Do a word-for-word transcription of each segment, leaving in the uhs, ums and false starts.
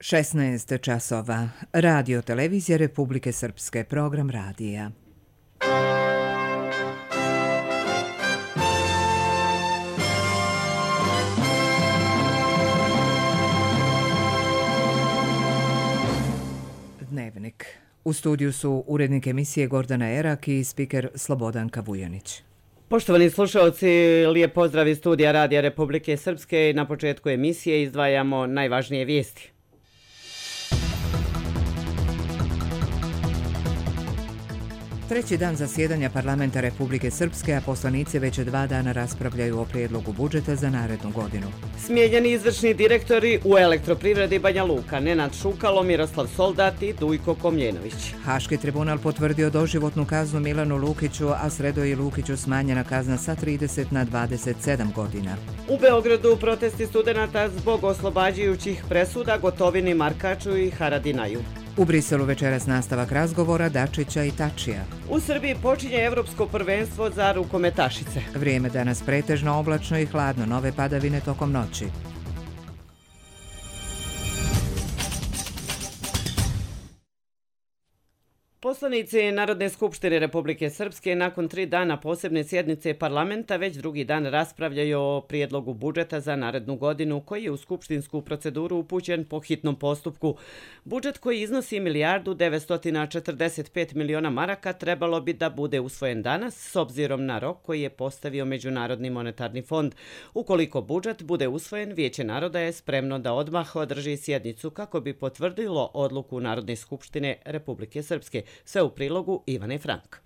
šesnaest časova. Radio televizija Republike Srpske, program radija. Dnevnik. U studiju su urednik emisije Gordana Erak i spiker Slobodanka Vujanić. Poštovani slušalci, lijep pozdrav iz studija Radija Republike Srpske. Na početku emisije izdvajamo najvažnije vijesti. Treći dan zasjedanja parlamenta Republike Srpske, a poslanici već dva dana raspravljaju o prijedlogu budžeta za narednu godinu. Smijenjeni izvršni direktori u Elektroprivredi Banja Luka, Nenad Šukalo, Miroslav Soldat i Dujko Komljenović. Haški tribunal potvrdio doživotnu kaznu Milanu Lukiću, a Sredoji Lukiću smanjena kazna sa trideset na dvadeset sedam godina. U Beogradu protesti studenata zbog oslobađajućih presuda Gotovini, Markaču i Haradinaju. U Briselu večeras nastavak razgovora Dačića i Tačija. U Srbiji počinje evropsko prvenstvo za rukometašice. Vrijeme danas pretežno oblačno i hladno, nove padavine tokom noći. Poslanici Narodne skupštine Republike Srpske nakon tri dana posebne sjednice parlamenta već drugi dan raspravljaju o prijedlogu budžeta za narednu godinu koji je u skupštinsku proceduru upućen po hitnom postupku. Budžet koji iznosi milijardu devetsto četrdeset pet miliona maraka trebalo bi da bude usvojen danas s obzirom na rok koji je postavio Međunarodni monetarni fond. Ukoliko budžet bude usvojen, Vijeće naroda je spremno da odmah održi sjednicu kako bi potvrdilo odluku Narodne skupštine Republike Srpske. Sve u prilogu Ivane Frank.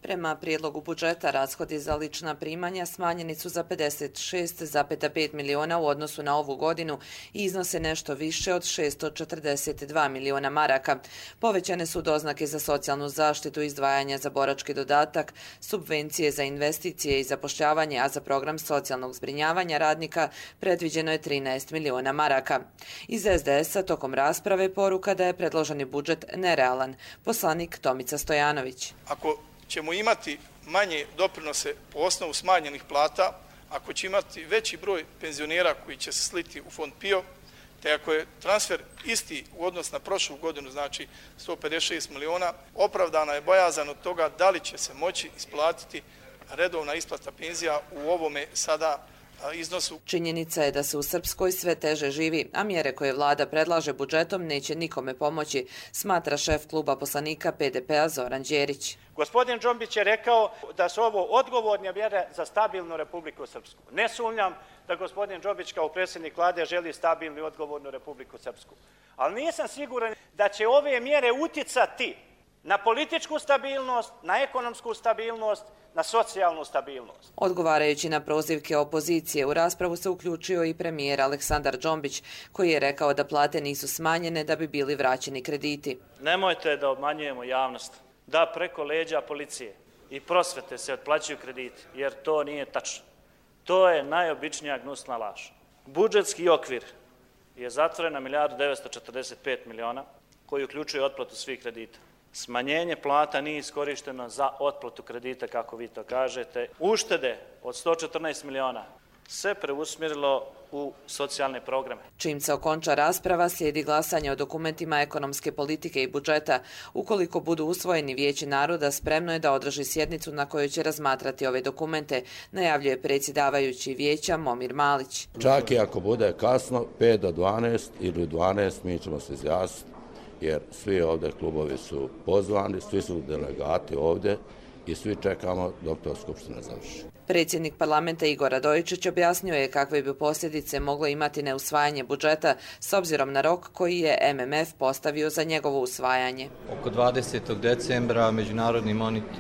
Prema prijedlogu budžeta, rashodi za lična primanja smanjeni su za pedeset šest zarez pet miliona u odnosu na ovu godinu i iznose nešto više od šessto četrdeset dva miliona maraka. Povećane su doznake za socijalnu zaštitu, izdvajanja za borački dodatak, subvencije za investicije i zapošljavanje, a za program socijalnog zbrinjavanja radnika predviđeno je trinaest miliona maraka. Iz es de es-a tokom rasprave poruka da je predloženi budžet nerealan. Poslanik Tomica Stojanović. Ako ćemo imati manje doprinose po osnovu smanjenih plata, ako će imati veći broj penzionera koji će se sliti u fond PIO, te ako je transfer isti u odnos na prošlu godinu, znači sto pedeset šest miliona, opravdana je bojazan od toga da li će se moći isplatiti redovna isplata penzija u ovome sada iznosu. Činjenica je da se u Srpskoj sve teže živi, a mjere koje vlada predlaže budžetom neće nikome pomoći, smatra šef kluba poslanika pe de pe-a Zoran Đerić. Gospodin Džombić je rekao da su ovo odgovorne mjere za stabilnu Republiku Srpsku. Ne sumnjam da gospodin Džombić kao predsjednik vlade želi stabilnu i odgovornu Republiku Srpsku. Ali nisam siguran da će ove mjere uticati na političku stabilnost, na ekonomsku stabilnost, na socijalnu stabilnost. Odgovarajući na prozivke opozicije, u raspravu se uključio i premijer Aleksandar Džombić, koji je rekao da plate nisu smanjene da bi bili vraćeni krediti. Nemojte da obmanjujemo javnost, da preko leđa policije i prosvete se otplaćuju krediti, jer to nije tačno. To je najobičnija gnusna laž. Budžetski okvir je zatvoren na milijardu devetsto četrdeset pet miliona, koji uključuje otplatu svih kredita. Smanjenje plata nije iskorišteno za otplatu kredita, kako vi to kažete. Uštede od sto četrnaest miliona se preusmjerilo u socijalne programe. Čim se okonča rasprava, slijedi glasanje o dokumentima ekonomske politike i budžeta. Ukoliko budu usvojeni, Vijeće naroda spremno je da održi sjednicu na kojoj će razmatrati ove dokumente, najavljuje predsjedavajući vijeća Momir Malić. Čak i ako bude kasno, pet do dvanaest ili dvanaest, mi ćemo se izjasniti, jer svi ovdje klubovi su pozvani, svi su delegati ovdje i svi čekamo dok to Skupština završi. Predsjednik parlamenta Igor Radojičić objasnio je kakve bi posljedice moglo imati neusvajanje budžeta s obzirom na rok koji je em em ef postavio za njegovo usvajanje. Oko dvadesetog decembra Međunarodni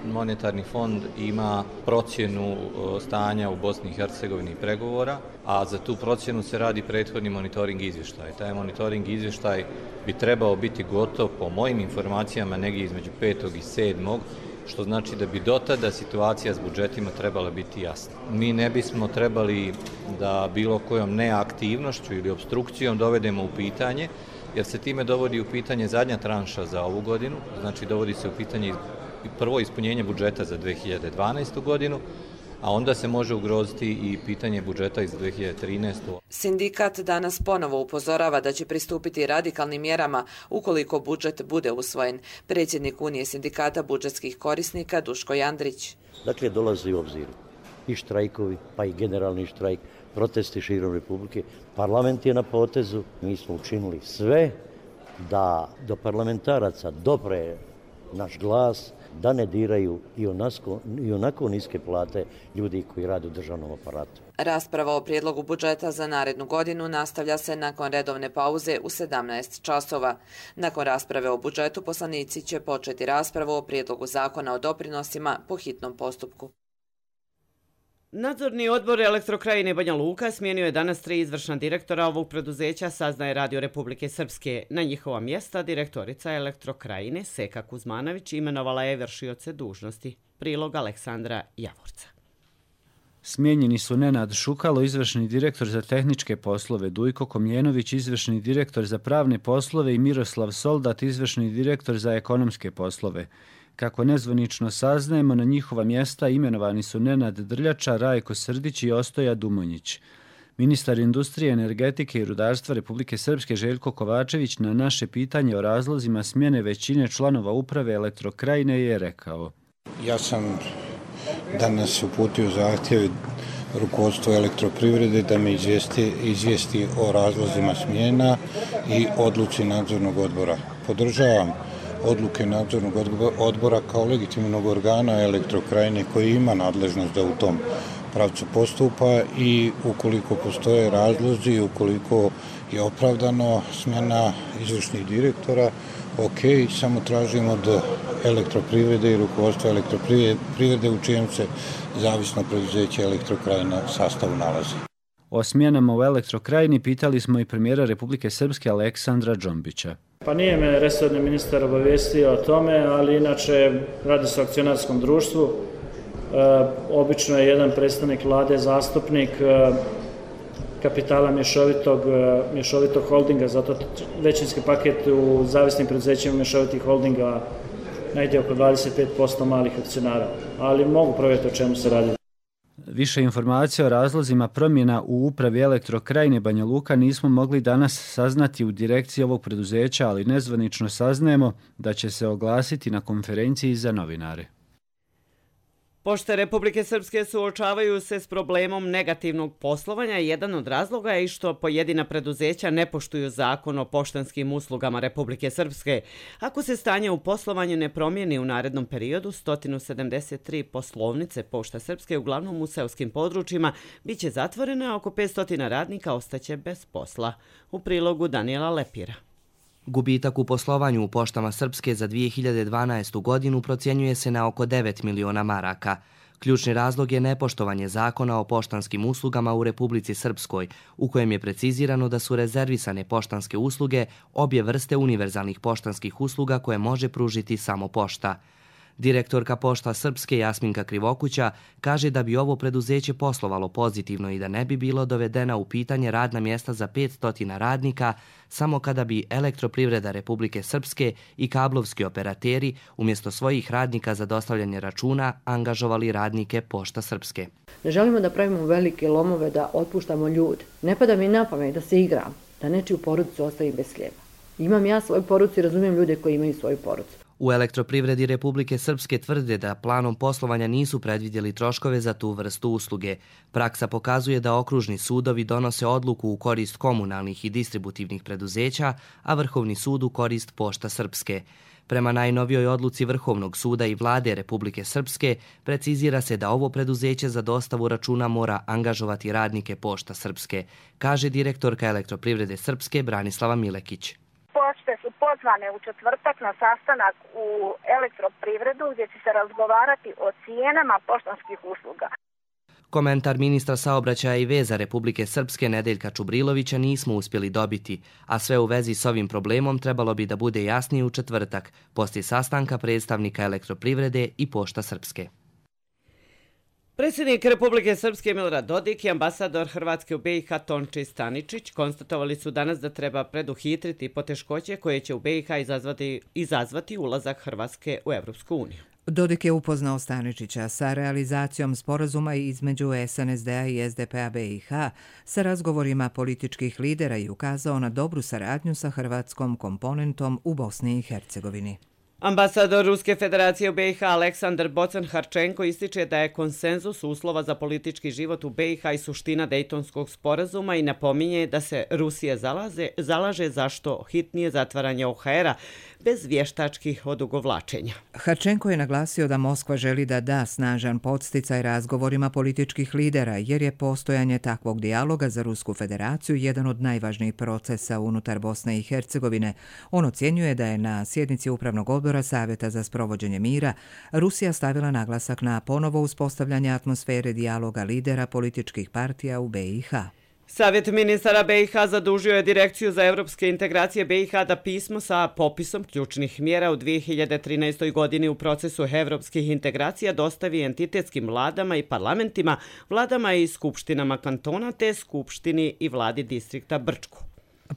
monetarni fond ima procjenu stanja u Bosni i Hercegovini i pregovora, a za tu procjenu se radi prethodni monitoring izvještaj. Taj monitoring izvještaj bi trebao biti gotov po mojim informacijama negdje između petog i sedmog što znači da bi do tada situacija s budžetima trebala biti jasna. Mi ne bismo trebali da bilo kojom neaktivnošću ili obstrukcijom dovedemo u pitanje, jer se time dovodi u pitanje zadnja tranša za ovu godinu, znači dovodi se u pitanje prvo ispunjenje budžeta za dve hiljade dvanaestu godinu, a onda se može ugroziti i pitanje budžeta iz dve hiljade trinaeste. Sindikat danas ponovo upozorava da će pristupiti radikalnim mjerama ukoliko budžet bude usvojen. Predsjednik Unije sindikata budžetskih korisnika Duško Jandrić. Dakle, dolazi u obzir i štrajkovi, pa i generalni štrajk, protesti širom Republike. Parlament je na potezu, mi smo učinili sve da do parlamentaraca dopre naš glas, da ne diraju i onako, i onako niske plate ljudi koji rade u državnom aparatu. Rasprava o prijedlogu budžeta za narednu godinu nastavlja se nakon redovne pauze u sedamnaest časova. Nakon rasprave o budžetu poslanici će početi raspravu o prijedlogu zakona o doprinosima po hitnom postupku. Nadzorni odbor Elektrokrajine Banja Luka smijenio je danas tri izvršna direktora ovog preduzeća, saznaje Radio Republike Srpske. Na njihova mjesta direktorica Elektrokrajine Seka Kuzmanović imenovala je vršioce dužnosti. Prilog Aleksandra Javorca. Smijenjeni su Nenad Šukalo, izvršni direktor za tehničke poslove, Dujko Komljenović, izvršni direktor za pravne poslove i Miroslav Soldat, izvršni direktor za ekonomske poslove. Kako nezvanično saznajemo, na njihova mjesta imenovani su Nenad Drljača, Rajko Srdić i Ostoja Dumonjić. Ministar industrije, energetike i rudarstva Republike Srpske Željko Kovačević na naše pitanje o razlozima smjene većine članova uprave Elektrokrajine je rekao: Ja sam danas uputio zahtjev rukovodstvo Elektroprivrede da me izvijesti, izvijesti o razlozima smjena i odluci nadzornog odbora. Podržavam odluke nadzornog odbora kao legitimnog organa Elektrokrajine koji ima nadležnost da u tom pravcu postupa i ukoliko postoje razlozi, ukoliko je opravdano smjena izvršnih direktora, ok, samo tražimo od Elektroprivrede i rukovodstva Elektroprivrede u čijem se zavisno preduzeće Elektrokrajina sastavu nalazi. O smjenama u Elektrokrajini pitali smo i premijera Republike Srpske Aleksandra Džombića. Pa nije me resorni ministar obavijestio o tome, ali inače radi se o akcionarskom društvu. E, obično je jedan predstavnik vlade zastupnik e, kapitala mješovitog, e, mješovitog holdinga, zato većinski paket u zavisnim preduzećima mješovitih holdinga najde oko dvadeset pet posto malih akcionara, ali mogu provjeriti o čemu se radi. Više informacija o razlozima promjena u upravi Elektrokrajine Banja Luka nismo mogli danas saznati u direkciji ovog preduzeća, ali nezvanično saznajemo da će se oglasiti na konferenciji za novinare. Pošte Republike Srpske suočavaju se s problemom negativnog poslovanja. Jedan od razloga je i što pojedina preduzeća ne poštuju zakon o poštanskim uslugama Republike Srpske. Ako se stanje u poslovanju ne promijeni u narednom periodu, sto sedamdeset tri poslovnice Pošta Srpske, uglavnom u seoskim područjima, bit će zatvorene, a oko petsto radnika ostaće bez posla. U prilogu Danijela Lepira. Gubitak u poslovanju u Poštama Srpske za dvije hiljade dvanaestu. godinu procjenjuje se na oko devet miliona maraka. Ključni razlog je nepoštovanje zakona o poštanskim uslugama u Republici Srpskoj, u kojem je precizirano da su rezervisane poštanske usluge obje vrste univerzalnih poštanskih usluga koje može pružiti samo pošta. Direktorka Pošta Srpske Jasminka Krivokuća kaže da bi ovo preduzeće poslovalo pozitivno i da ne bi bilo dovedena u pitanje radna mjesta za petsto radnika samo kada bi Elektroprivreda Republike Srpske i kablovski operateri umjesto svojih radnika za dostavljanje računa angažovali radnike Pošta Srpske. Ne želimo da pravimo velike lomove, da otpuštamo ljude. Ne pada mi na pamet da se igram, da nečiju porodicu ostavim bez hljeba. Imam ja svoju porodicu i razumijem ljude koji imaju svoju porodicu. U Elektroprivredi Republike Srpske tvrde da planom poslovanja nisu predvidjeli troškove za tu vrstu usluge. Praksa pokazuje da okružni sudovi donose odluku u korist komunalnih i distributivnih preduzeća, a Vrhovni sud u korist Pošta Srpske. Prema najnovijoj odluci Vrhovnog suda i vlade Republike Srpske precizira se da ovo preduzeće za dostavu računa mora angažovati radnike Pošta Srpske, kaže direktorka Elektroprivrede Srpske Branislava Milekić. Pošte su pozvane u četvrtak na sastanak u Elektroprivredu gdje će se razgovarati o cijenama poštanskih usluga. Komentar ministra saobraćaja i veza Republike Srpske Nedeljka Čubrilovića nismo uspjeli dobiti, a sve u vezi s ovim problemom trebalo bi da bude jasnije u četvrtak, poslije sastanka predstavnika Elektroprivrede i Pošta Srpske. Predsjednik Republike Srpske Milorad Dodik i ambasador Hrvatske u be i ha Tonči Staničić konstatovali su danas da treba preduhitriti poteškoće koje će u be i ha izazvati, izazvati ulazak Hrvatske u Evropsku uniju. Dodik je upoznao Staničića sa realizacijom sporazuma između S N S D-a i S D P-a B i H sa razgovorima političkih lidera i ukazao na dobru saradnju sa hrvatskom komponentom u Bosni i Hercegovini. Ambasador Ruske federacije u B i H Aleksandar Bocan-Harčenko ističe da je konsenzus uslova za politički život u B i H i suština Dejtonskog sporazuma i napominje da se Rusija zalaze, zalaže zašto hitnije zatvaranje O H R-a bez vještačkih odugovlačenja. Harčenko je naglasio da Moskva želi da da snažan podsticaj razgovorima političkih lidera, jer je postojanje takvog dijaloga za Rusku federaciju jedan od najvažnijih procesa unutar Bosne i Hercegovine. On ocjenjuje da je na sjednici Upravnog odbora Savjeta za sprovođenje mira Rusija stavila naglasak na ponovo uspostavljanje atmosfere dijaloga lidera političkih partija u B i H. Savjet ministara B i H zadužio je Direkciju za evropske integracije B i H da pismo sa popisom ključnih mjera u dvije hiljade trinaestoj. godini u procesu evropskih integracija dostavi entitetskim vladama i parlamentima, vladama i skupštinama kantona te skupštini i vladi distrikta Brčko.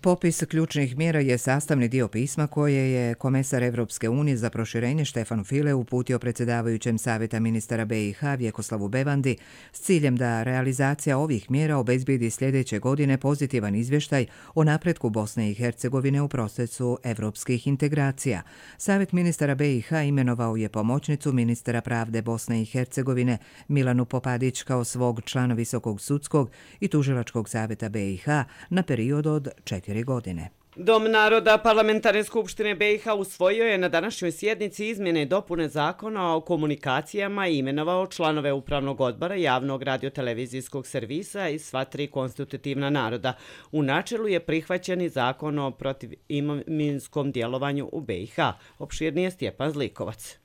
Popis ključnih mjera je sastavni dio pisma koje je komesar Evropske unije za proširenje Štefan File uputio predsjedavajućem Savjeta ministara B i H Vjekoslavu Bevandi s ciljem da realizacija ovih mjera obezbijedi sljedeće godine pozitivan izvještaj o napretku Bosne i Hercegovine u procesu evropskih integracija. Savjet ministara B i H imenovao je pomoćnicu ministra pravde Bosne i Hercegovine Milanu Popadić kao svog člana Visokog sudskog i tužilačkog savjeta B i H na period od četiri godine. Dom naroda Parlamentarne skupštine B i H usvojio je na današnjoj sjednici izmjene i dopune zakona o komunikacijama i imenovao članove Upravnog odbora javnog radiotelevizijskog servisa i sva tri konstitutivna naroda. U načelu je prihvaćen i zakon o protiviminskom djelovanju u B i H. Opširnije Stjepan Zlikovac.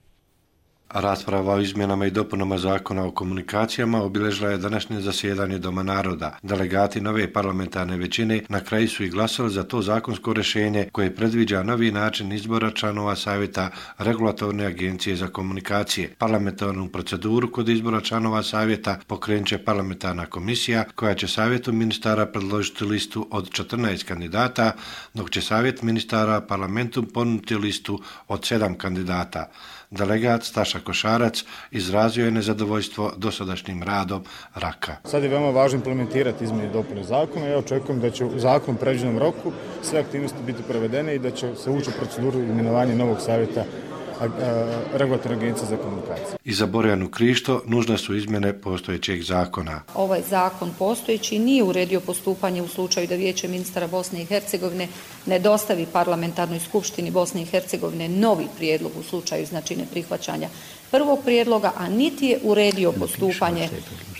Rasprava o izmjenama i dopunama zakona o komunikacijama obilježila je današnje zasjedanje Doma naroda. Delegati nove parlamentarne većine na kraju su i glasali za to zakonsko rješenje koje predviđa novi način izbora članova Savjeta Regulatorne agencije za komunikacije. Parlamentarnu proceduru kod izbora članova Savjeta pokrenut će parlamentarna komisija koja će Savjetu ministara predložiti listu od četrnaest kandidata, dok će Savjet ministara parlamentu ponuditi listu od sedam kandidata. Delegat Staša Košarac izrazio je nezadovoljstvo dosadašnjim radom Raka. Sad je veoma važno implementirati izmjene i dopune zakona. Ja očekujem da će u zakon predviđenom roku sve aktivnosti biti provedene i da će se ući u proceduru imenovanja novog savjeta Regulatorne agencije za komunikacije. I za Borjanu Krišto nužne su izmjene postojećeg zakona. Ovaj zakon postojeći nije uredio postupanje u slučaju da Vijeće ministara Bosne i Hercegovine ne dostavi Parlamentarnoj skupštini Bosne i Hercegovine novi prijedlog u slučaju znači neprihvaćanja prvog prijedloga, a niti je uredio postupanje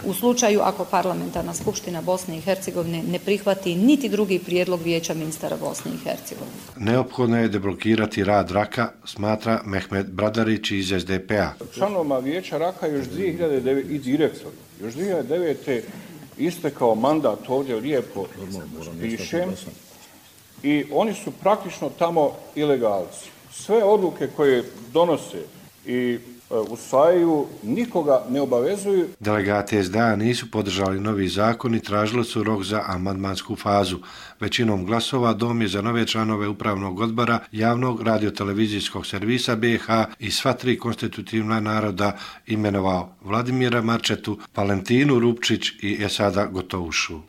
u slučaju ako Parlamentarna skupština Bosne i Hercegovine ne prihvati niti drugi prijedlog Vijeća ministara Bosne i Hercegovine. Neophodno je deblokirati rad Raka, smatra Mehmet Bradarić iz S D P-a. Članoma Vijeća Raka još dvije hiljade devete i direktor, još dvije hiljade devete istekao mandat, ovdje lijepo pišem, i oni su praktično tamo ilegalci. Sve odluke koje donose i usvajaju, nikoga ne obavezuju. Delegati S D A nisu podržali novi zakon i tražili su rok za amandmansku fazu. Većinom glasova Dom je za nove članove Upravnog odbora javnog radiotelevizijskog servisa B i H i sva tri konstitutivna naroda imenovao Vladimira Marčetu, Valentinu Rupčić i Esada Gotovušu.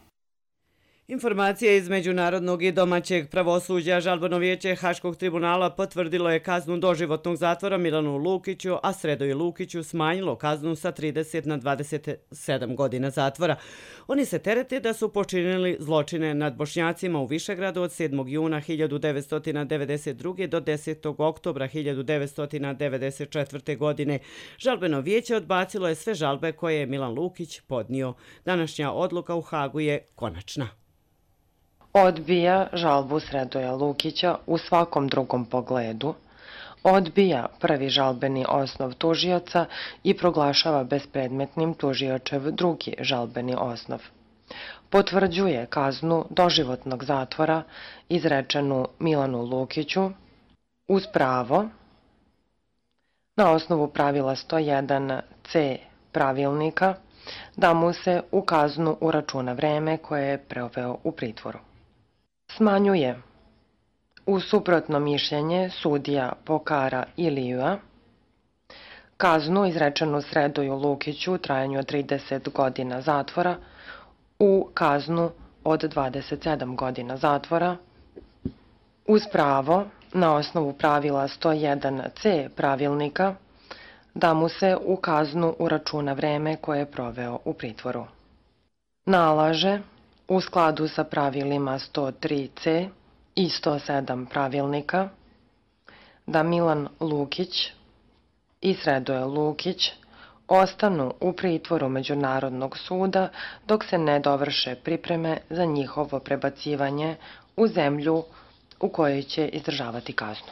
Informacije iz međunarodnog i domaćeg pravosuđa. Žalbeno vijeće Haškog tribunala potvrdilo je kaznu doživotnog zatvora Milanu Lukiću, a Sredoju Lukiću smanjilo kaznu sa trideset na dvadeset sedam godina zatvora. Oni se terete da su počinili zločine nad Bošnjacima u Višegradu od sedmog juna hiljadu devetsto devedeset druge. do desetog oktobra hiljadu devetsto devedeset četvrte. godine. Žalbeno vijeće odbacilo je sve žalbe koje je Milan Lukić podnio. Današnja odluka u Hagu je konačna. Odbija žalbu Sredoja Lukića u svakom drugom pogledu, odbija prvi žalbeni osnov tužioca i proglašava bespredmetnim tužiočev drugi žalbeni osnov. Potvrđuje kaznu doživotnog zatvora izrečenu Milanu Lukiću uz pravo na osnovu pravila sto jedan c pravilnika da mu se u kaznu uračuna vreme koje je proveo u pritvoru. Smanjuje u suprotno mišljenje sudija Pokara Ilijua Kaznu izrečenu Sredoju Lukiću u trajanju od trideset godina zatvora u kaznu od dvadeset sedam godina zatvora uz pravo na osnovu pravila sto jedan ce pravilnika da mu se u kaznu uračuna vreme koje je proveo u pritvoru. Nalaže u skladu sa pravilima sto tri ce i sto sedam pravilnika da Milan Lukić i Sredoje Lukić ostanu u pritvoru Međunarodnog suda dok se ne dovrše pripreme za njihovo prebacivanje u zemlju u kojoj će izdržavati kaznu.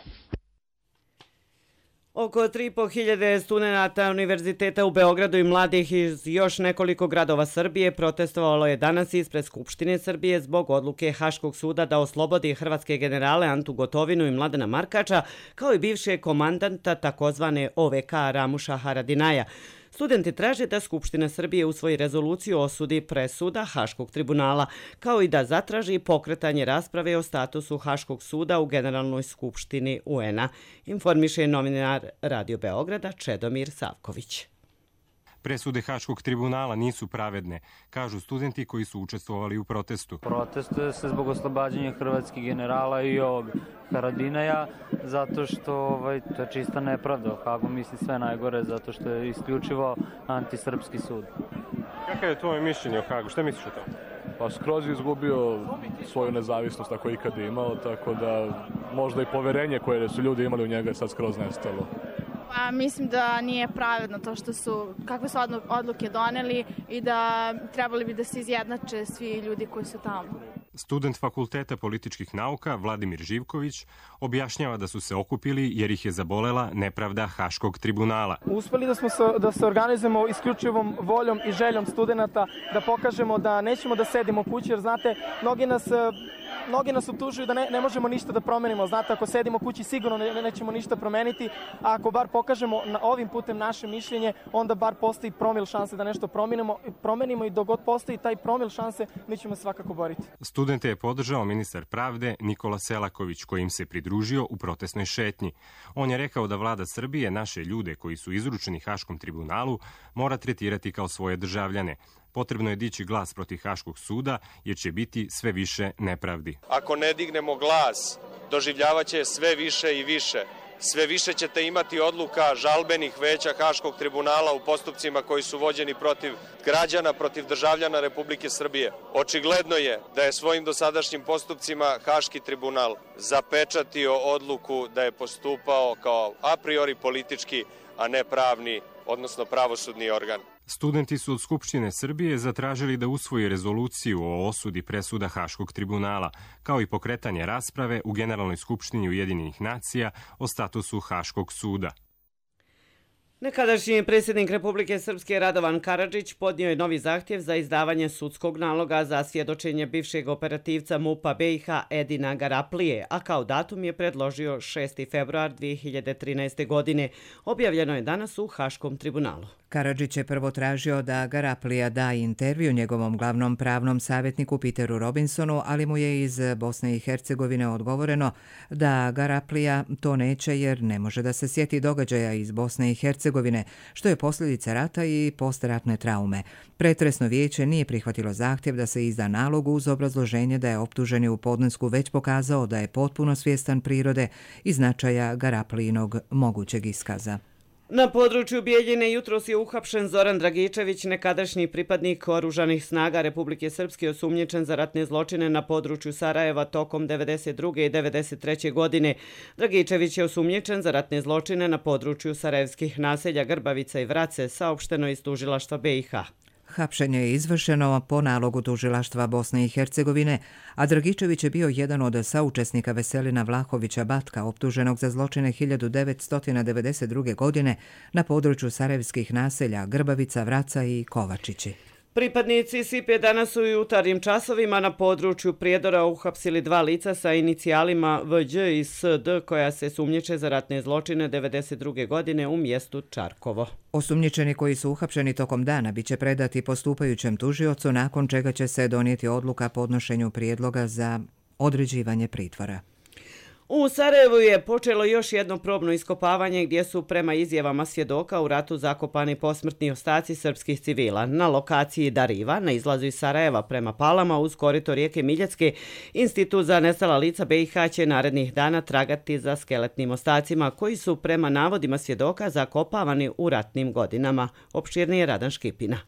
Oko tri i po hiljade studenata Univerziteta u Beogradu i mladih iz još nekoliko gradova Srbije protestovalo je danas ispred Skupštine Srbije zbog odluke Haškog suda da oslobodi hrvatske generale Antu Gotovinu i Mladena Markača, kao i bivšeg komandanta takozvane O V K Ramuša Haradinaja. Studenti traže da Skupština Srbije usvoji rezoluciju o osudi presuda Haškog tribunala, kao i da zatraži pokretanje rasprave o statusu Haškog suda u Generalnoj skupštini U N A, informiše novinar Radio Beograda Čedomir Savković. Presude Haškog tribunala nisu pravedne, kažu studenti koji su učestvovali u protestu. Protestuje se zbog oslobađanja hrvatskih generala i ovog Haradinaja, zato što ovaj, to je čista nepravda. Hagu misli sve najgore, zato što je isključivo antisrpski sud. Kakav je tvoje mišljenje o Hagu? Šta misliš o tom? Pa skroz je izgubio svoju nezavisnost ako je ikad imao, tako da možda i poverenje koje su ljudi imali u njega je sad skroz nestalo. Pa mislim da nije pravedno to što su, kakve su odluke doneli i da trebali bi da se izjednače svi ljudi koji su tamo. Student Fakulteta političkih nauka Vladimir Živković objašnjava da su se okupili jer ih je zabolela nepravda Haškog tribunala. Uspeli da smo se, da se organizujemo isključivom voljom i željom studenta, da pokažemo da nećemo da sedimo kući, jer znate, mnogi nas... Mnogi nas optužuju da ne, ne možemo ništa da promenimo. Znate, ako sedimo kući sigurno ne, nećemo ništa promeniti, a ako bar pokažemo na ovim putem naše mišljenje, onda bar postoji promil šanse da nešto promenimo, promenimo i dok god postoji taj promil šanse, mi ćemo svakako boriti. Studente je podržao ministar pravde Nikola Selaković, koji im se pridružio u protestnoj šetnji. On je rekao da vlada Srbije naše ljude koji su izručeni Haškom tribunalu mora tretirati kao svoje državljane. Potrebno je dići glas protiv Haškog suda jer će biti sve više nepravdi. Ako ne dignemo glas, doživljavaće sve više i više. Sve više ćete imati odluka žalbenih veća Haškog tribunala u postupcima koji su vođeni protiv građana, protiv državljana Republike Srbije. Očigledno je da je svojim dosadašnjim postupcima Haški tribunal zapečatio odluku da je postupao kao a priori politički, a ne pravni, odnosno pravosudni organ. Studenti su od Skupštine Srbije zatražili da usvoji rezoluciju o osudi presuda Haškog tribunala, kao i pokretanje rasprave u Generalnoj skupštini Ujedinjenih nacija o statusu Haškog suda. Nekadašnji predsjednik Republike Srpske Radovan Karadžić podnio je novi zahtjev za izdavanje sudskog naloga za svjedočenje bivšeg operativca MUP-a B i H Edina Garaplije, a kao datum je predložio šesti februar dvije hiljade trinaeste. godine. Objavljeno je danas u Haškom tribunalu. Karadžić je prvo tražio da Garaplija da intervju njegovom glavnom pravnom savjetniku Peteru Robinsonu, ali mu je iz Bosne i Hercegovine odgovoreno da Garaplija to neće jer ne može da se sjeti događaja iz Bosne i Hercegovine, što je posljedica rata i postratne traume. Pretresno vijeće nije prihvatilo zahtjev da se izda nalog uz obrazloženje da je optuženi u podnesku već pokazao da je potpuno svjestan prirode i značaja Garaplijinog mogućeg iskaza. Na području Bijeljine jutros je uhapšen Zoran Dragičević, nekadašnji pripadnik oružanih snaga Republike Srpske osumnjičen za ratne zločine na području Sarajeva tokom devedeset druge i devedeset treće. godine. Dragičević je osumnjičen za ratne zločine na području sarajevskih naselja Grbavica i Vrace, saopšteno iz tužilaštva B i H. Hapšenje je izvršeno po nalogu tužilaštva Bosne i Hercegovine, a Dragičević je bio jedan od saučesnika Veselina Vlahovića Batka, optuženog za zločine hiljadu devetsto devedeset druge. godine na području sarajevskih naselja Grbavica, Vraca i Kovačići. Pripadnici S I P E danas su u jutarnjim časovima na području Prijedora uhapsili dva lica sa inicijalima V Đ i S D koja se sumnjiče za ratne zločine devedeset druge. godine u mjestu Čarkovo. Osumnjičeni koji su uhapšeni tokom dana biće predati postupajućem tužiocu, nakon čega će se donijeti odluka podnošenju prijedloga za određivanje pritvora. U Sarajevu je počelo još jedno probno iskopavanje gdje su prema izjavama svjedoka u ratu zakopani posmrtni ostaci srpskih civila. Na lokaciji Dariva, na izlazu iz Sarajeva prema Palama uz korito rijeke Miljacke, Institut za nestala lica B i H će narednih dana tragati za skeletnim ostacima koji su prema navodima svjedoka zakopavani u ratnim godinama. Opširnije Radan Škipina.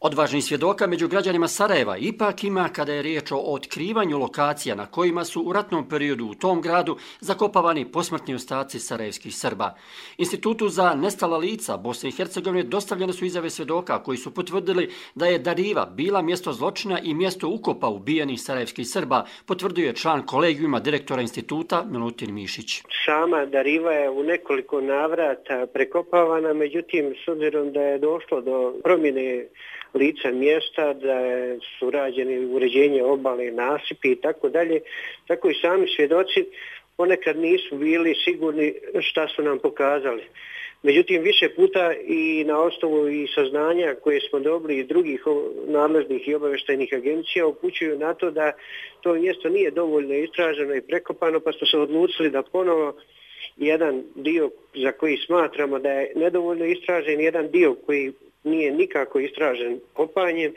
Odvažnih svjedoka među građanima Sarajeva ipak ima kada je riječ o otkrivanju lokacija na kojima su u ratnom periodu u tom gradu zakopavani posmrtni ostaci sarajevskih Srba. Institutu za nestala lica Bosne i Hercegovine dostavljene su izjave svjedoka koji su potvrdili da je Dariva bila mjesto zločina i mjesto ukopa ubijenih sarajevskih Srba, potvrduje član kolegijuma direktora instituta Milutin Mišić. Sama Dariva je u nekoliko navrata prekopavana, međutim s obzirom da je došlo do promjene lica mjesta, da su rađeni uređenje obale, nasipi i tako dalje, tako i sami svjedoci ponekad nisu bili sigurni šta su nam pokazali. Međutim, više puta i na osnovu i saznanja koje smo dobili iz drugih nadležnih i obavještajnih agencija upućuju na to da to mjesto nije dovoljno istraženo i prekopano, pa smo se odlučili da ponovo jedan dio za koji smatramo da je nedovoljno istražen, jedan dio koji nije nikako istražen kopanjem,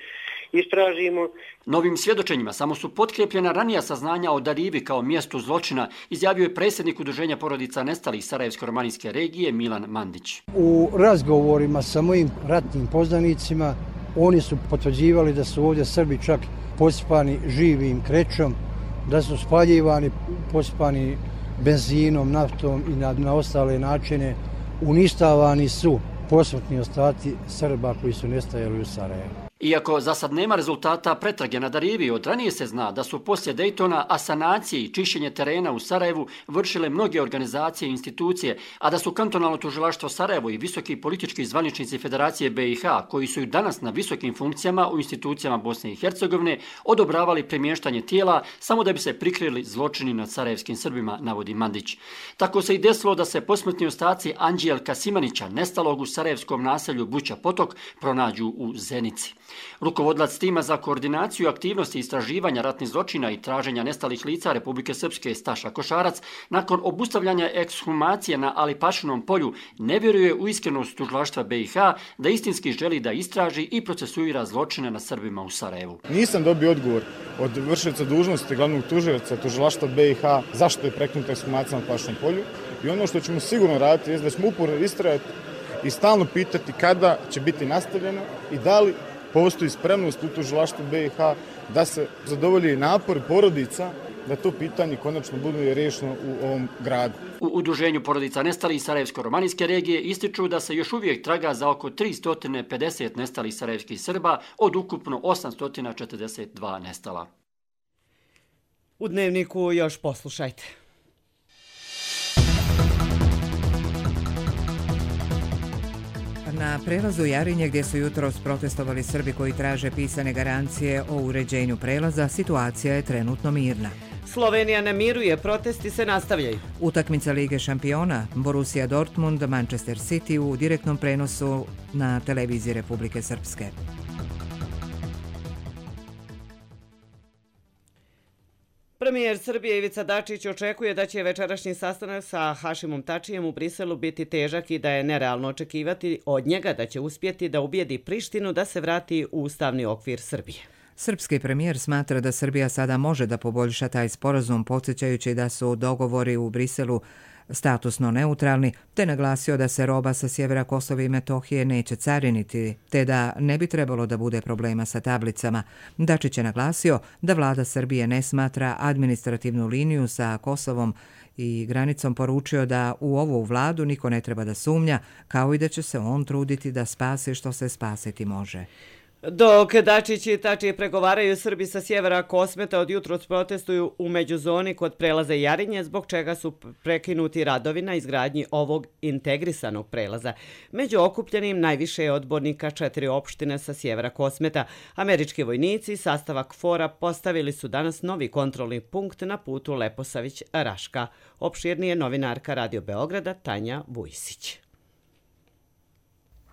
istražimo. Novim svjedočenjima samo su potkrepljena ranija saznanja o Darivi kao mjestu zločina, izjavio je predsjednik Udruženja porodica nestalih Sarajevsko-romanijske regije Milan Mandić. U razgovorima sa mojim ratnim poznanicima oni su potvrđivali da su ovdje Srbi čak pospani živim krećom, da su spaljivani, pospani benzinom, naftom i na, na ostale načine. Uništavani su posmrtni ostaci Srba koji su nestajali u Sarajevu. Iako za sad nema rezultata pretrage na Darivi, od ranije se zna da su poslije Dejtona asanacije i čišćenje terena u Sarajevu vršile mnoge organizacije i institucije, a da su kantonalno tužilaštvo Sarajevo i visoki politički zvaničnici Federacije B i H, koji su i danas na visokim funkcijama u institucijama Bosne i Hercegovine, odobravali premještanje tijela samo da bi se prikrili zločini nad sarajevskim Srbima, navodi Mandić. Tako se i desilo da se posmrtni ostaci Anđelka Simanića, nestalog u sarajevskom naselju Buća Potok, pronađu u Zenici. Rukovodilac tima za koordinaciju aktivnosti istraživanja ratnih zločina i traženja nestalih lica Republike Srpske Staša Košarac, nakon obustavljanja ekshumacije na Alipašinom polju, ne vjeruje u iskrenost tužilaštva B i H da istinski želi da istraži i procesuira zločine na Srbima u Sarajevu. Nisam dobio odgovor od vršioca dužnosti glavnog tužioca tužilaštva B i H zašto je prekinuta ekshumacija na Alipašinom polju i ono što ćemo sigurno raditi je da ćemo uporno istrajati i stalno pitati kada će biti nastavljeno i da li postoji spremnost u tužilaštvu B i H da se zadovolji napor porodica da to pitanje konačno bude riješeno u ovom gradu. U Udruženju porodica nestalih Sarajevsko-romanijske regije ističu da se još uvijek traga za oko tristo pedeset nestalih sarajevskih Srba od ukupno osamsto četrdeset dva nestala. U Dnevniku još poslušajte. Na prelazu Jarinje gdje su jutros protestovali Srbi koji traže pisane garancije o uređenju prelaza, situacija je trenutno mirna. Slovenija ne miruje, protesti se nastavljaju. Utakmica Lige šampiona Borussia Dortmund, Manchester City u direktnom prenosu na televiziji Republike Srpske. Premijer Srbije Ivica Dačić očekuje da će večerašnji sastanak sa Hašimom Tačijem u Briselu biti težak i da je nerealno očekivati od njega da će uspjeti da ubijedi Prištinu da se vrati u ustavni okvir Srbije. Srpski premijer smatra da Srbija sada može da poboljša taj sporazum, podsjećajući da su dogovori u Briselu statusno neutralni, te naglasio da se roba sa sjevera Kosova i Metohije neće cariniti, te da ne bi trebalo da bude problema sa tablicama. Dačić je naglasio da vlada Srbije ne smatra administrativnu liniju sa Kosovom i granicom, poručio da u ovu vladu niko ne treba da sumnja, kao i da će se on truditi da spasi što se spasiti može. Dok Dačić i Tačije pregovaraju, Srbi sa sjevera Kosmeta od jutros protestuju u međuzoni kod prelaza Jarinje, zbog čega su prekinuti radovi na izgradnji ovog integrisanog prelaza. Među okupljenim najviše je odbornika četiri opštine sa sjevera Kosmeta. Američki vojnici sastava KFOR-a postavili su danas novi kontrolni punkt na putu Leposavić-Raška. Opširnije novinarka Radio Beograda Tanja Vujsić.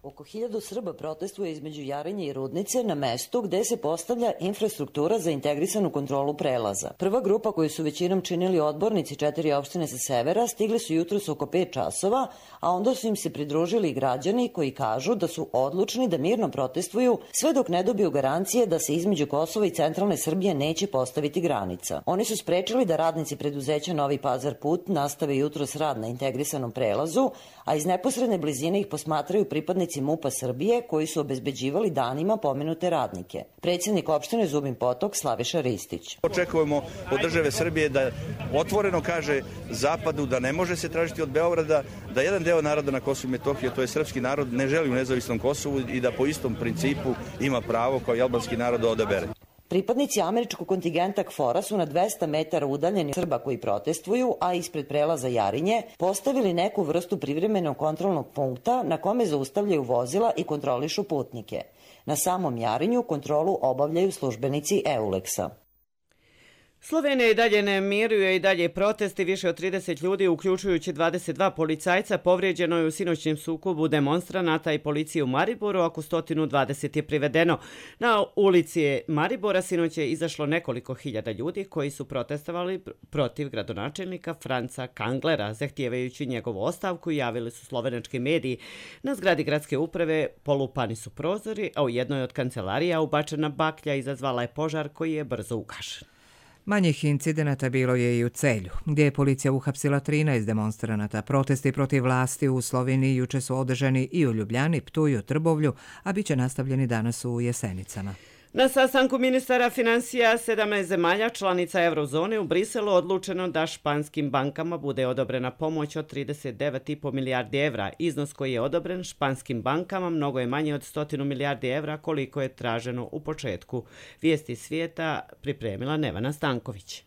Oko hiljadu Srba protestuje između Jarinje i Rudnice na mestu gde se postavlja infrastruktura za integrisanu kontrolu prelaza. Prva grupa koju su većinom činili odbornici četiri opštine sa severa stigli su jutros oko pet časova, a onda su im se pridružili i građani koji kažu da su odlučni da mirno protestuju sve dok ne dobiju garancije da se između Kosova i centralne Srbije neće postaviti granica. Oni su sprečili da radnici preduzeća Novi Pazar put nastave jutros rad na integrisanom prelazu, a iz neposredne blizine ih posmatraju pripadnici MUP-a Srbije koji su obezbeđivali danima pomenute radnike. Predsjednik opštine Zubin Potok Slaviša Ristić. Očekujemo od države Srbije da otvoreno kaže Zapadu da ne može se tražiti od Beograda da jedan deo naroda na Kosovu i Metohiji, to je srpski narod, ne želi u nezavisnom Kosovu i da po istom principu ima pravo kao i albanski narod da odabere. Pripadnici američkog kontingenta KFOR-a su na dvesta metara udaljeni Srba koji protestuju, a ispred prelaza Jarinje postavili neku vrstu privremenog kontrolnog punkta na kome zaustavljaju vozila i kontrolišu putnike. Na samom Jarinju kontrolu obavljaju službenici EULEX-a. Slovenija i dalje ne miruje i dalje protesti. Više od trideset ljudi, uključujući dvadeset dva policajca, povrijeđeno je u sinoćnjem sukobu demonstranata i policije u Mariboru, oko sto dvadeset je privedeno. Na ulici Maribora sinoć je izašlo nekoliko hiljada ljudi koji su protestovali protiv gradonačelnika Franca Kanglera, zahtijevajući njegovu ostavku, javili su slovenački mediji. Na zgradi gradske uprave polupani su prozori, a u jednoj od kancelarija ubačena baklja izazvala je požar koji je brzo ugašen. Manjih incidenata bilo je i u Celju, gdje je policija uhapsila trinaest demonstranata. Protesti protiv vlasti u Sloveniji juče su održani i u Ljubljani, Ptuju, Trbovlju, a bit će nastavljeni danas u Jesenicama. Na sastanku ministara financija sedamnaest zemalja članica eurozone u Briselu odlučeno da španskim bankama bude odobrena pomoć od trideset devet zarez pet milijardi evra. Iznos koji je odobren španskim bankama mnogo je manje od sto milijardi evra koliko je traženo u početku. Vijesti svijeta pripremila Nevana Stanković.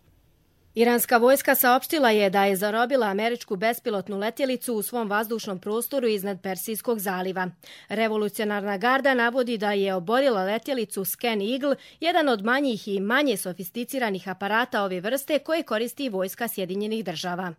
Iranska vojska saopštila je da je zarobila američku bespilotnu letjelicu u svom vazdušnom prostoru iznad Persijskog zaliva. Revolucionarna garda navodi da je oborila letjelicu Scan Eagle, jedan od manjih i manje sofisticiranih aparata ove vrste koje koristi vojska Sjedinjenih država.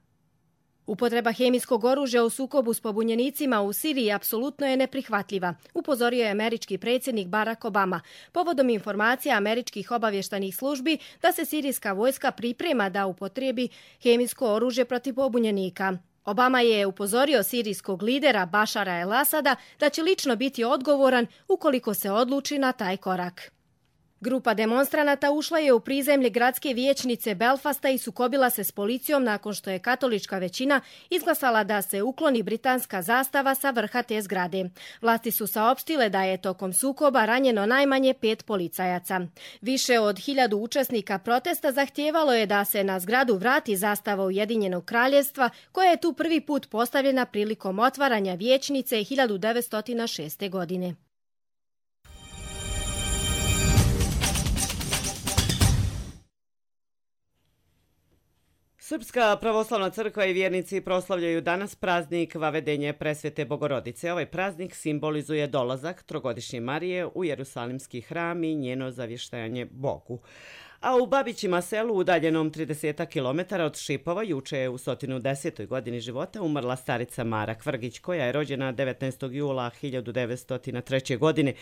Upotreba hemijskog oružja u sukobu s pobunjenicima u Siriji apsolutno je neprihvatljiva, upozorio je američki predsjednik Barack Obama, povodom informacija američkih obavještajnih službi da se sirijska vojska priprema da upotrebi hemijsko oružje protiv pobunjenika. Obama je upozorio sirijskog lidera Bašara el-Asada da će lično biti odgovoran ukoliko se odluči na taj korak. Grupa demonstranata ušla je u prizemlje gradske vijećnice Belfasta i sukobila se s policijom nakon što je katolička većina izglasala da se ukloni britanska zastava sa vrha te zgrade. Vlasti su saopštile da je tokom sukoba ranjeno najmanje pet policajaca. Više od hiljadu učesnika protesta zahtijevalo je da se na zgradu vrati zastava Ujedinjenog kraljevstva koja je tu prvi put postavljena prilikom otvaranja vijećnice hiljadu devetsto šeste. godine. Srpska pravoslavna crkva i vjernici proslavljaju danas praznik Vavedenje Presvete Bogorodice. Ovaj praznik simbolizuje dolazak trogodišnje Marije u Jerusalimski hram i njeno zavještajanje Bogu. A u Babićima selu, udaljenom trideset kilometara od Šipova, juče je u sto desetoj godini života umrla starica Mara Kvrgić, koja je rođena devetnaestog jula hiljadu devetsto treće. godine.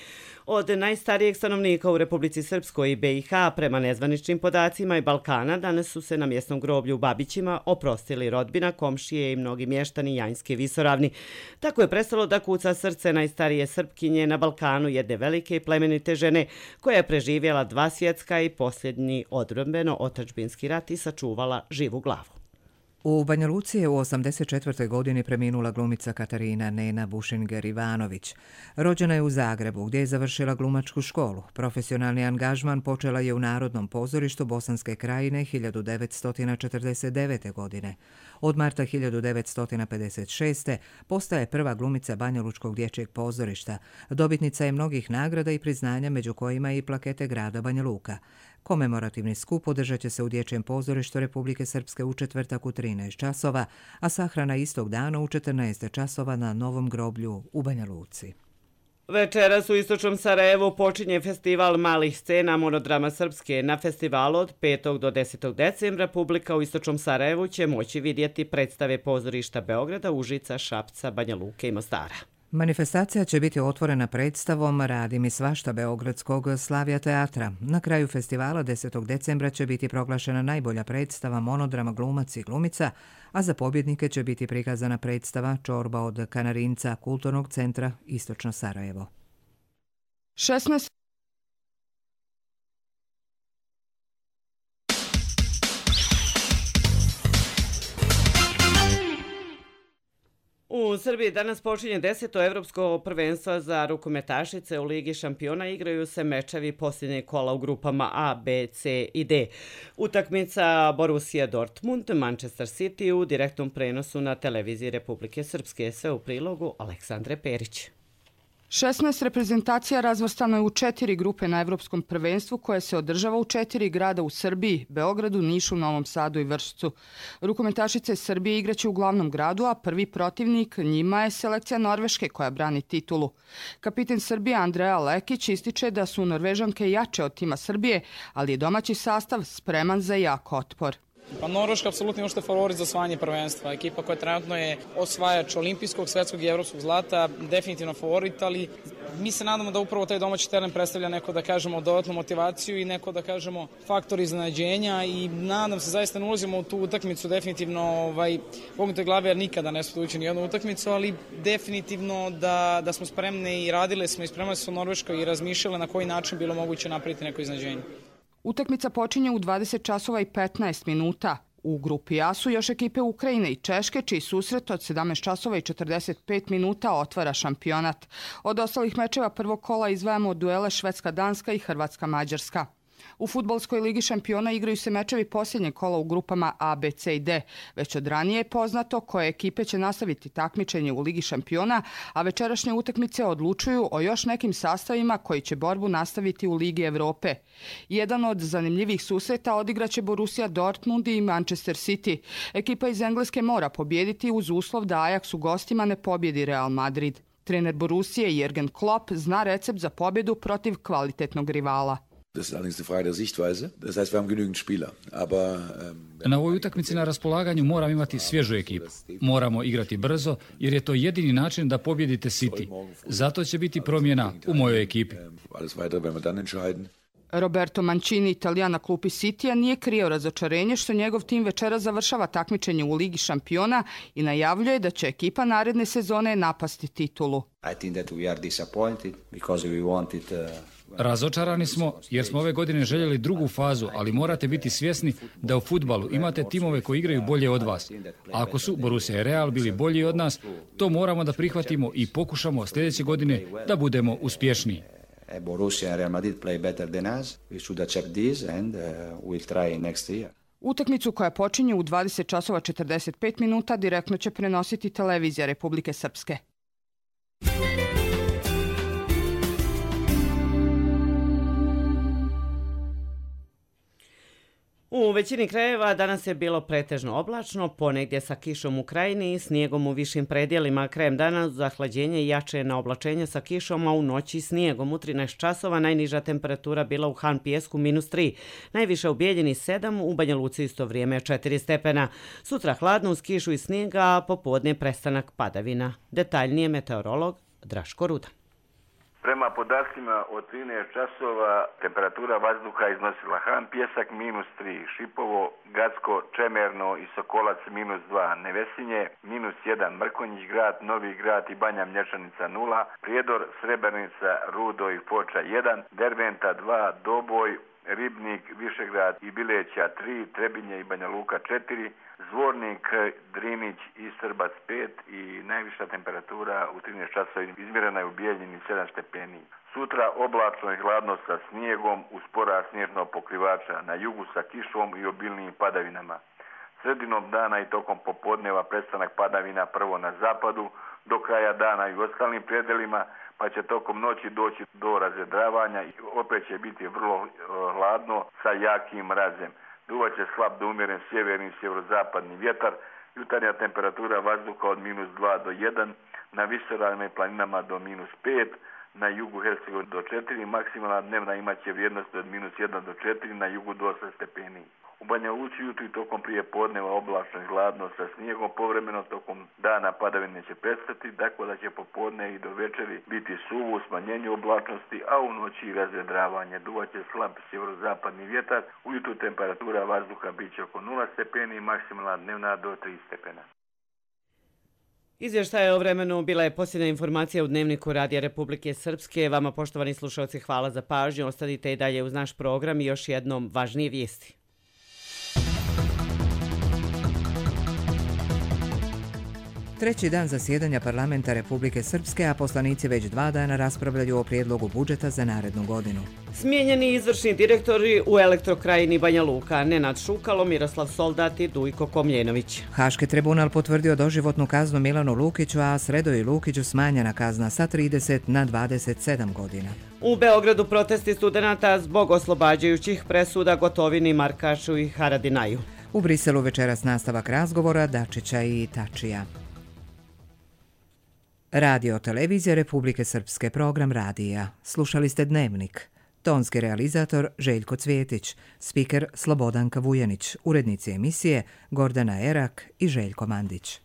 Od najstarijeg stanovnika u Republici Srpskoj i be i ha, prema nezvaničnim podacima i Balkana, danas su se na mjesnom groblju u Babićima oprostili rodbina, komšije i mnogi mještani Janjske visoravni. Tako je prestalo da kuca srce najstarije Srpkinje na Balkanu, jedne velike i plemenite žene, koja je preživjela dva svjetska i posljednji odbrambeno otadžbinski rat i sačuvala živu glavu. U Banja Luci je u osamdeset četvrtoj. godini preminula glumica Katarina Nena Bušinger-Ivanović. Rođena je u Zagrebu, gdje je završila glumačku školu. Profesionalni angažman počela je u Narodnom pozorištu Bosanske Krajine hiljadu devetsto četrdeset devete. godine. Od marta hiljadu devetsto pedeset šeste. postaje prva glumica Banjalučkog dječjeg pozorišta. Dobitnica je mnogih nagrada i priznanja, među kojima i plakete grada Banja Luka. Komemorativni skup održat će se u Dječjem pozorištu Republike Srpske u četvrtak u trinaest časova, a sahrana istog dana u četrnaest časova na Novom groblju u Banja Luci. Večeras u istočnom Sarajevu počinje festival malih scena Monodrama Srpske. Na festivalu od petog do desetog decembra publika u istočnom Sarajevu će moći vidjeti predstave pozorišta Beograda, Užica, Šapca, Banja Luke i Mostara. Manifestacija će biti otvorena predstavom Radi mi svašta beogradskog Slavija teatra. Na kraju festivala desetog decembra će biti proglašena najbolja predstava monodrama Glumac i glumica, a za pobjednike će biti prikazana predstava Čorba od Kanarinca Kulturnog centra Istočno Sarajevo. šesnaest U Srbiji danas počinje deseto evropsko prvenstvo za rukometašice. U Ligi šampiona igraju se mečevi posljednje kola u grupama A, B, C i D. Utakmica Borussia Dortmund, Manchester City u direktnom prenosu na televiziji Republike Srpske. Sve u prilogu Aleksandre Perić. šesnaest reprezentacija razvrstano je u četiri grupe na Evropskom prvenstvu koje se održava u četiri grada u Srbiji, Beogradu, Nišu, Novom Sadu i Vršcu. Rukometašice Srbije igraće u glavnom gradu, a prvi protivnik njima je selekcija Norveške koja brani titulu. Kapiten Srbije Andreja Lekić ističe da su Norvežanke jače od tima Srbije, ali je domaći sastav spreman za jak otpor. Pa Norveška apsolutno je što favorit za osvajanje prvenstva. Ekipa koja trenutno je osvajač olimpijskog, svetskog i evropskog zlata, definitivno favorit, ali mi se nadamo da upravo taj domaći teren predstavlja neko, da kažemo, dodatnu motivaciju i neko, da kažemo, faktor iznenađenja i nadam se, zaista ne ulazimo u tu utakmicu definitivno ovaj, pognute glave, jer nikada ne smo ući ni jednu utakmicu, ali definitivno da, da smo spremni i radile smo i spremali smo u Norveškoj i razmišljali na koji način bilo moguće napraviti neko iznenađenje. Utakmica počinje u dvadeset časova i petnaest minuta. U grupi A su još ekipe Ukrajine i Češke, čiji susret od sedamnaest časova i četrdeset pet minuta otvara šampionat. Od ostalih mečeva prvog kola izdvajamo duele Švedska-Danska i Hrvatska-Mađarska. U fudbalskoj ligi šampiona igraju se mečevi posljednje kola u grupama A, B, C i D. Već od ranije je poznato koje ekipe će nastaviti takmičenje u ligi šampiona, a večerašnje utakmice odlučuju o još nekim sastavima koji će borbu nastaviti u Ligi Evrope. Jedan od zanimljivih susreta odigraće Borussia Dortmund i Manchester City. Ekipa iz Engleske mora pobijediti uz uslov da Ajax u gostima ne pobjedi Real Madrid. Trener Borussije Jürgen Klopp zna recept za pobjedu protiv kvalitetnog rivala. Das ist allerdings die Frage der Sichtweise. Das heißt, wir haben genügend Spieler. Aber, ähm, na ovoj utakmici na raspolaganju moram imati svježu ekipu. Moramo igrati brzo jer je to jedini način da pobjedite City. Zato će biti promjena u mojoj ekipi. Alles weitere werden wir dann entscheiden. Roberto Mancini, Italijan na klupi Citya, nije krio razočarenje što njegov tim večera završava takmičenje u Ligi šampiona i najavljuje da će ekipa naredne sezone napasti titulu. I think that we are disappointed because we wanted uh... Razočarani smo jer smo ove godine željeli drugu fazu, ali morate biti svjesni da u fudbalu imate timove koji igraju bolje od vas. A ako su Borussia i Real bili bolji od nas, to moramo da prihvatimo i pokušamo sljedeće godine da budemo uspješniji. Borussia and Real Madrid play better than us. We should accept this and uh, we'll try next year. Utakmicu koja počinje u dvadeset časova četrdeset pet minuta direktno će prenositi televizija Republike Srpske. U većini krajeva danas je bilo pretežno oblačno, ponegdje sa kišom u krajini i snijegom u višim predjelima. Krajem dana zahlađenje jače na oblačenje sa kišom, a u noći snijegom. U trinaest časova najniža temperatura bila u Han Pijesku minus tri, najviše u Bijeljini sedam, u Banja Luci isto vrijeme četiri stepena. Sutra hladno uz kišu i snijega, a popodne prestanak padavina. Detaljnije meteorolog Draško Ruda. Prema podacima od trinaest časova temperatura vazduha iznosila Han Pijesak minus tri, Šipovo, Gacko, Čemerno i Sokolac minus dva, Nevesinje minus jedan, Mrkonjić grad, Novi grad i Banja Mlječanica nula, Prijedor, Srebrnica, Rudo i Foča jedan, Derventa dva, Doboj, Ribnik, Višegrad i Bileća tri, Trebinje i Banja Luka četiri, Zvornik, Drinić i Srbac pet i najviša temperatura u trinaest časova izmjerena je u Bijeljini sedam stepeni. Sutra oblačno i hladno sa snijegom uz porast snježnog pokrivača, na jugu sa kišom i obilnijim padavinama. Sredinom dana i tokom popodneva prestanak padavina prvo na zapadu, do kraja dana i u ostalim predelima, pa će tokom noći doći do razredravanja i opet će biti vrlo hladno sa jakim mrazem. Duvaće slab do umjeren sjeverni i sjeverozapadni vjetar, jutarnja temperatura vazduha od minus dva do jedan, na visoravnim planinama do minus pet, na jugu Hercegovine do četiri, maksimalna dnevna imaće vrijednost od minus jedan do četiri, na jugu do osam stepeni. U Banja Luci jutro i tokom prije podneva oblačno i hladno sa snijegom, povremeno tokom dana padavine će prestati, tako da će popodne i do večeri biti suvo u smanjenju oblačnosti, a u noći i razvedravanje. Duvaće slab sjeverozapadni vjetar, ujutru temperatura vazduha bit će oko nula stepeni, maksimalna dnevna do tri stepena. Izvještaj o vremenu bila je posljednja informacija u Dnevniku Radija Republike Srpske. Vama, poštovani slušalci, hvala za pažnju. Ostanite i dalje uz naš program i još jednom važnije vijesti. Treći dan zasjedanja parlamenta Republike Srpske, a poslanici već dva dana raspravljaju o prijedlogu budžeta za narednu godinu. Smijenjeni izvršni direktori u Elektrokrajini Banja Luka, Nenad Šukalo, Miroslav Soldat i Dujko Komljenović. Haški tribunal potvrdio doživotnu kaznu Milanu Lukiću, a Sredoji Lukiću smanjena kazna sa trideset na dvadeset sedam godina. U Beogradu protesti studenata zbog oslobađajućih presuda Gotovini, Markašu i Haradinaju. U Briselu večeras nastavak razgovora Dačića i Tačija. Radio televizija Republike Srpske, program radija. Slušali ste Dnevnik. Tonski realizator Željko Cvjetić, spiker Slobodanka Vujanić, urednici emisije Gordana Erak i Željko Mandić.